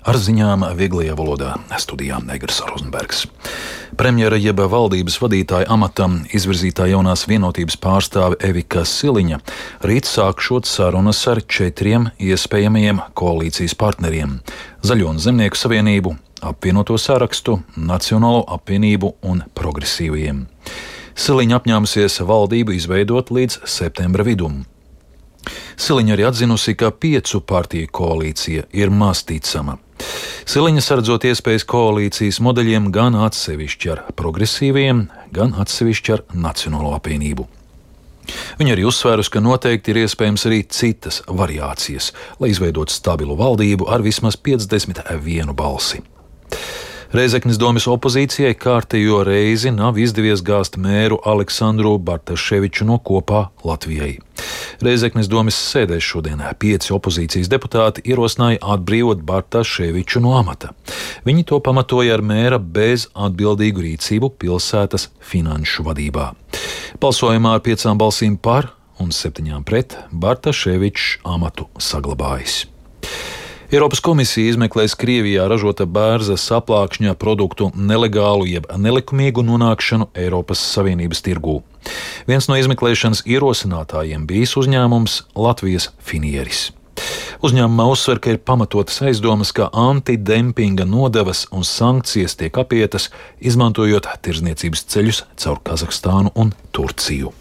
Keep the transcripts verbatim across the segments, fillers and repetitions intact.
Ar ziņām vieglajā valodā studijā Negras Rozenbergs. Premjera jeb valdības vadītāja amatam izvirzītā jaunās vienotības pārstāve Evika Siliņa rīt sākšot sarunas ar četriem iespējamajiem koalīcijas partneriem - Zaļo un Zemnieku savienību, Apvienoto sarakstu, Nacionālo apvienību un Progresīvajiem. Siliņa apņēmusies valdību izveidot līdz septembra vidum. Siliņa arī atzinusi, ka piecu partiju koalīcija ir maz ticama. Siliņa saredzot iespējas koalīcijas modeļiem gan atsevišķi ar Progresīviem, gan atsevišķi ar Nacionālo apvienību. Viņa arī uzsvērusi, ka noteikti ir iespējams arī citas variācijas, lai izveidotu stabilu valdību ar vismaz piecdesmit vienu balsi. Rēzeknes domes opozīcijai kārtējo reizi nav izdevies gāzt mēru Aleksandru Bartaševiču no Kopā Latvijai. Rēzeknes domes sēdēs šodien pieci opozīcijas deputāti ierosināja atbrīvot Bartaševiču no amata. Viņi to pamatoja ar mēra bez atbildīgu rīcību pilsētas finanšu vadībā. Balsojumā ar piecām balsīm par un septiņām pret Bartaševičs amatu saglabājis. Eiropas komisija izmeklēs Krievijā ražota bērza saplākšņa produktu nelegālu jeb nelikumīgu nonākšanu Eiropas Savienības tirgū. Viens no izmeklēšanas ierosinātājiem bijis uzņēmums Latvijas Finieris. Uzņēmumā uzsver, ka ir pamatotas aizdomas, ka antidempinga nodevas un sankcijas tiek apietas, izmantojot tirdzniecības ceļus caur Kazahstānu un Turciju.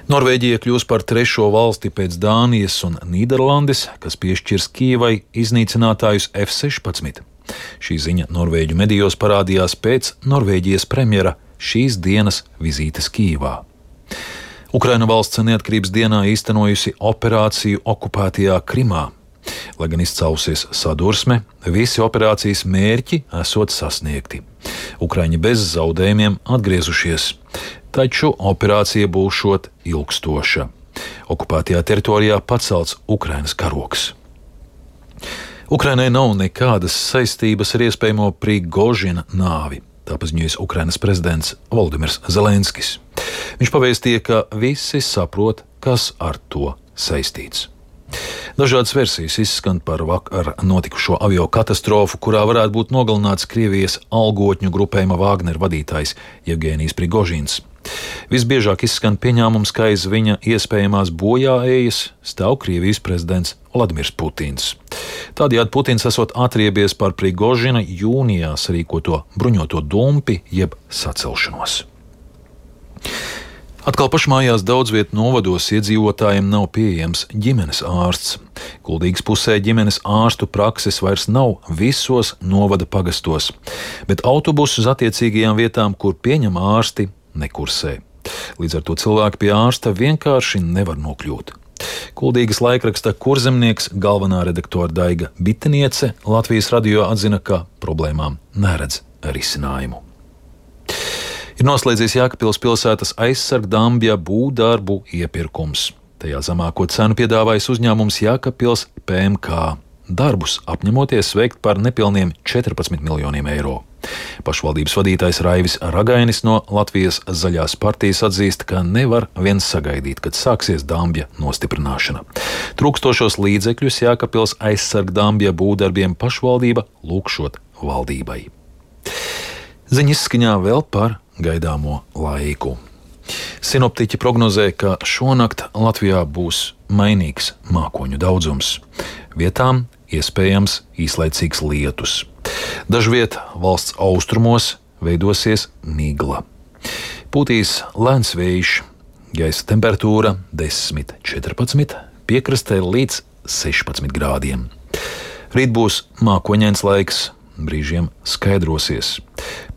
Norvēģija kļūs par trešo valsti pēc Dānijas un Nīderlandes, kas piešķirs Kijevai iznīcinātājus F sešpadsmit. Šī ziņa Norvēģu medijos parādījās pēc Norvēģijas premjera šīs dienas vizītes Kijevā. Ukraina valsts neatkarības dienā īstenojusi operāciju okupētajā Krimā. Lai gan izcēlusies sadursme, visi operācijas mērķi esot sasniegti. Ukraiņi bez zaudējumiem atgriezušies. Taču operācija būšot ilgstoša. Okupētajā teritorijā pacelts Ukrainas karogs. Ukrainai nav nekādas saistības ar iespējamo Prigožina nāvi, tā paziņojis Ukrainas prezidents Volodimirs Zelenskis. Viņš pavēstīja, ka visi saprot, kas ar to saistīts. Dažādas versijas izskan par vakar notikušo avio katastrofu, kurā varētu būt nogalināts Krievijas algotņu grupējuma Wagner vadītājs Jevgenijs Prigožins. Visbiežāk izskan pieņēmums, ka aiz viņa iespējamās bojāējas stāv Krievijas prezidents Vladimirs Putins. Tādējādi Putins esot atriebies par Prigožina jūnijā sarīkoto bruņoto dumpi jeb sacelšanos. Atkal pašmājās daudzviet novados iedzīvotājiem nav pieejams ģimenes ārsts. Kuldīgas pusē ģimenes ārstu prakses vairs nav visos novada pagastos, bet autobusus uz attiecīgajām vietām, kur pieņem ārsti, nekursē. Līdz ar to cilvēki pie ārsta vienkārši nevar nokļūt. Kuldīgas laikraksta Kurzemnieks galvenā redaktora Daiga Biteniece Latvijas radio atzina, ka problēmām neredz risinājumu. Ir noslēdzies Jēkabpils pilsētas aizsargdambja būvdarbu iepirkums. Tajā zemāko cenu piedāvājas uzņēmums Jēkabpils P M K. Darbus apņemoties veikt par nepilniem četrpadsmit miljoniem eiro. Pašvaldības vadītājs Raivis Ragainis no Latvijas Zaļās partijas atzīst, ka nevar viens sagaidīt, kad sāksies dambja nostiprināšana. Trūkstošos līdzekļus Jēkabpils aizsargdambja būvdarbiem pašvaldība lūgšot valdībai. Ziņa izskaņā vēl par gaidāmo laiku. Sinoptiķi prognozē, ka šonakt Latvijā būs mainīgs mākoņu daudzums. Vietām iespējams īslaicīgs lietus. Dažviet valsts austrumos veidosies migla. Pūtīs lēns vējš, gaisa temperatūra desmit četrpadsmit, piekrastē līdz sešpadsmit grādiem. Rīt būs mākoņains laiks, brīžiem skaidrosies.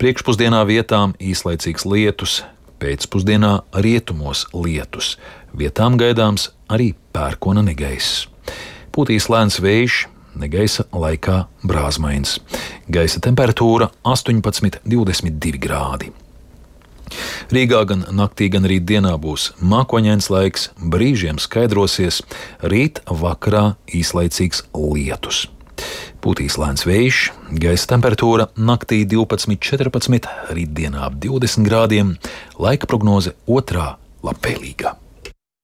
Priekšpusdienā vietām īslaicīgs lietus, pēcpusdienā rietumos lietus. Vietām gaidāms arī pērkona negaiss. Pūtīs lēns vējš, negaisa laikā brāzmains. Gaisa temperatūra astoņpadsmit divdesmit divi grādi. Rīgā gan naktī, gan rīt dienā būs mākoņains laiks, brīžiem skaidrosies, rīt vakarā īslaicīgs lietus. Pūtīs lēns vējš, gaisa temperatūra naktī divpadsmit četrpadsmit, rītdienā ap divdesmit grādiem, laika prognoze otrā labvēlīga.